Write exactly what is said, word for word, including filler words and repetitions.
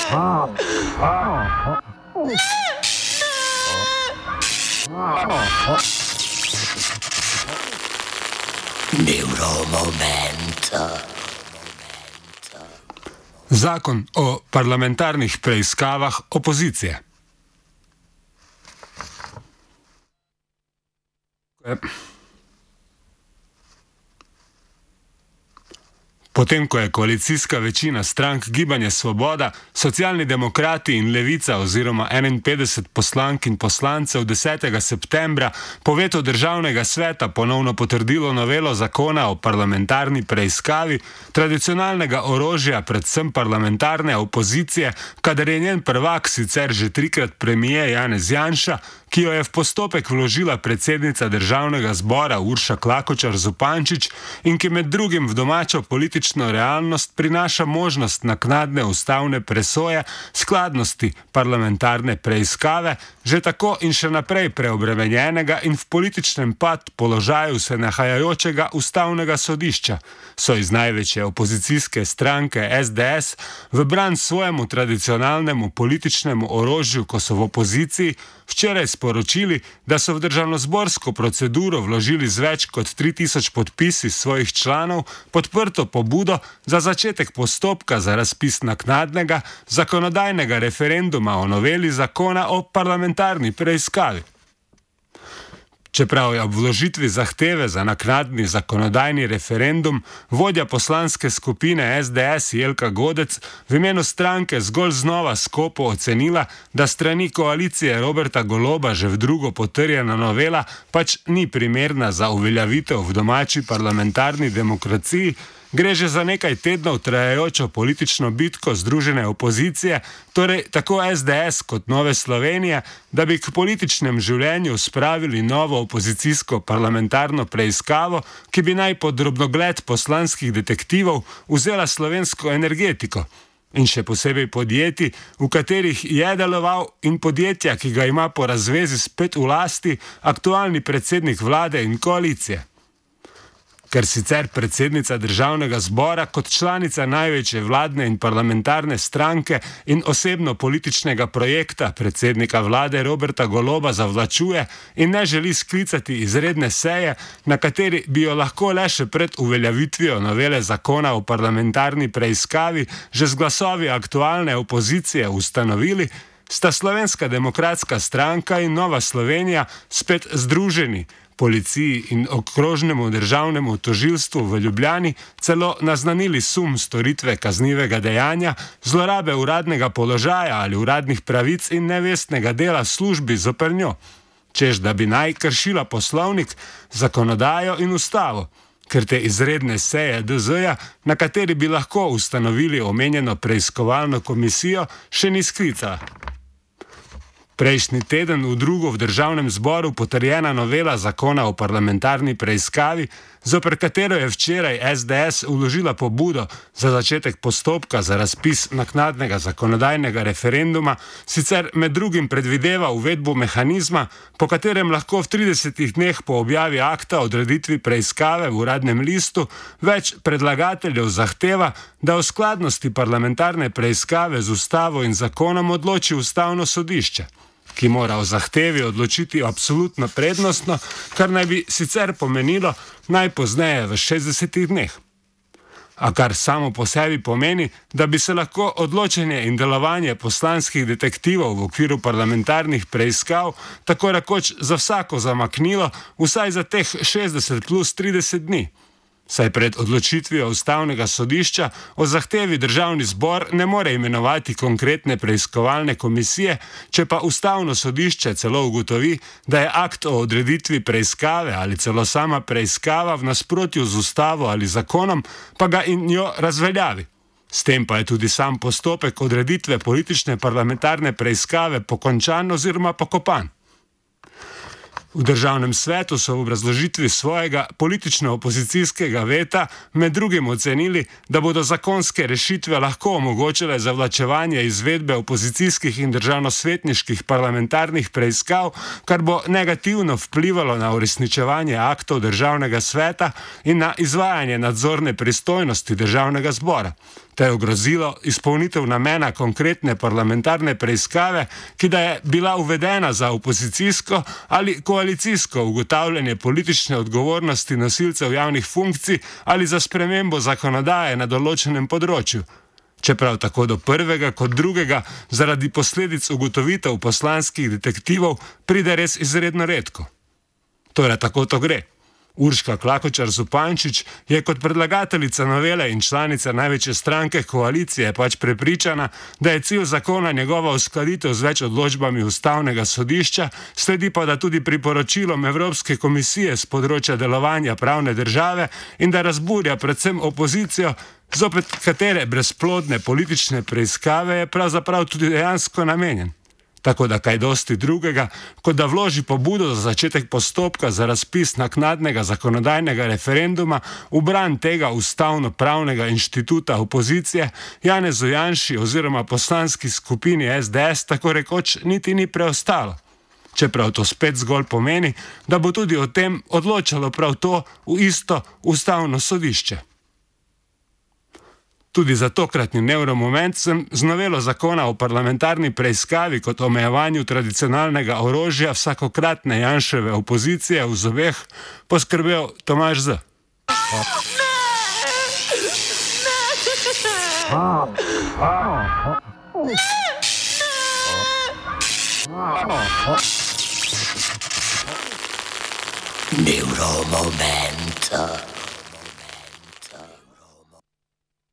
Neuromoment. Zakon o parlamentarnih preiskavah opozicije. Potem, ko je koalicijska večina strank Gibanje Svoboda, Socialni demokrati in Levica oziroma enainpetdeset poslank in poslancev desetega septembra po vetu Državnega sveta ponovno potrdilo novelo zakona o parlamentarni preiskavi, tradicionalnega orožja predvsem parlamentarne opozicije, kadar je njen prvak sicer že trikrat premijer Janez Janša, ki jo je v postopek vložila predsednica Državnega zbora Urša Klakočar Zupančič in ki med drugim v domačo politično realnost prinaša možnost naknadne ustavne presoje skladnosti parlamentarne preiskave, že tako in še naprej preobremenjenega in v političnem pad položaju se nahajajočega ustavnega sodišča, so iz največje opozicijske stranke S D S v bran svojemu tradicionalnemu političnemu orožju, ko so v opoziciji, včeraj sporočili, da so v državnozborsko proceduro vložili z več kot tri tisoč podpisi svojih članov podprto pobudo za začetek postopka za razpis naknadnega zakonodajnega referenduma o noveli zakona o parlamentarni preiskavi. Čeprav je ob vložitvi zahteve za naknadni zakonodajni referendum vodja poslanske skupine S D S Jelka Godec v imenu stranke zgolj znova skopo ocenila, da strani koalicije Roberta Goloba že v drugo potrjena novela pač ni primerna za uveljavitev v domači parlamentarni demokraciji, gre že za nekaj tednov trajajočo politično bitko združene opozicije, torej tako S D S kot Nove Slovenije, da bi k političnem življenju spravili novo opozicijsko parlamentarno preiskavo, ki bi naj pod drobnogled poslanskih detektivov vzela slovensko energetiko. In še posebej podjetij, v katerih je deloval, in podjetja, ki ga ima po razvezi spet v lasti aktualni predsednik vlade in koalicije. Ker sicer predsednica Državnega zbora kot članica največje vladne in parlamentarne stranke in osebno političnega projekta predsednika vlade Roberta Goloba zavlačuje in ne želi sklicati izredne seje, na kateri bi jo lahko le še pred uveljavitvijo novele zakona o parlamentarni preiskavi že z glasovi aktualne opozicije ustanovili, sta Slovenska demokratska stranka in Nova Slovenija spet združeni, policiji in okrožnemu državnemu tožilstvu v Ljubljani celo naznanili sum storitve kaznivega dejanja, zlorabe uradnega položaja ali uradnih pravic in nevestnega dela službi zoper njo, čež da bi naj kršila poslovnik, zakonodajo in ustavo, ker te izredne seje D Z-ja, na kateri bi lahko ustanovili omenjeno preiskovalno komisijo, še ni sklicala. Prejšnji teden v drugo v Državnem zboru potrjena novela zakona o parlamentarni preiskavi, zoper katero je včeraj S D S vložila pobudo za začetek postopka za razpis naknadnega zakonodajnega referenduma, sicer med drugim predvideva uvedbo mehanizma, po katerem lahko v tridesetih dneh po objavi akta o odreditvi preiskave v Uradnem listu več predlagateljev zahteva, da o skladnosti parlamentarne preiskave z ustavo in zakonom odloči Ustavno sodišče, ki mora o zahtevi odločiti absolutno prednostno, kar naj bi sicer pomenilo najpozneje v šestdesetih dneh. A kar samo po sebi pomeni, da bi se lahko odločanje in delovanje poslanskih detektivov v okviru parlamentarnih preiskav tako rekoč za vsako zamaknilo vsaj za teh šestdeset plus trideset dni. Saj pred odločitvijo Ustavnega sodišča o zahtevi Državni zbor ne more imenovati konkretne preiskovalne komisije, če pa Ustavno sodišče celo ugotovi, da je akt o odreditvi preiskave ali celo sama preiskava v nasprotju z ustavo ali zakonom, pa ga in jo razveljavi. S tem pa je tudi sam postopek odreditve politične parlamentarne preiskave pokončan oziroma pokopan. V Državnem svetu so v obrazložitvi svojega politično-opozicijskega veta med drugim ocenili, da bodo zakonske rešitve lahko omogočile zavlačevanje izvedbe opozicijskih in državnosvetniških parlamentarnih preiskav, kar bo negativno vplivalo na uresničevanje aktov Državnega sveta in na izvajanje nadzorne pristojnosti Državnega zbora. te je ogrozilo izpolnitev namena konkretne parlamentarne preiskave, ki da je bila uvedena za opozicijsko ali koalicijsko ugotavljanje politične odgovornosti nosilcev javnih funkcij ali za spremembo zakonodaje na določenem področju. Čeprav tako do prvega kot drugega zaradi posledic ugotovitev poslanskih detektivov pride res izredno redko. Torej, tako to gre. Urška Klakočar Zupančič je kot predlagateljica novele in članica največje stranke koalicije pač prepričana, da je cilj zakona njegova uskladitev z več odločbami Ustavnega sodišča, sledi pa da tudi priporočilom Evropske komisije z področja delovanja pravne države in da razburja predvsem opozicijo, zopet katere brezplodne politične preiskave je pravzaprav tudi dejansko namenjen. Tako da kaj dosti drugega, kot da vloži pobudo za začetek postopka za razpis naknadnega zakonodajnega referenduma v bran tega ustavno-pravnega inštituta opozicije, Janezu Janši oziroma poslanski skupini es de es tako rekoč niti ni preostalo. Čeprav to spet zgolj pomeni, da bo tudi o tem odločalo prav to v isto ustavno sodišče. Tudi za tokratni nevromoment sem z novelo zakona o parlamentarni preiskavi kot omejevanju tradicionalnega orožja vsakokratne Janševe opozicije v zobeh poskrbel Tomaž Z. Nevromoment.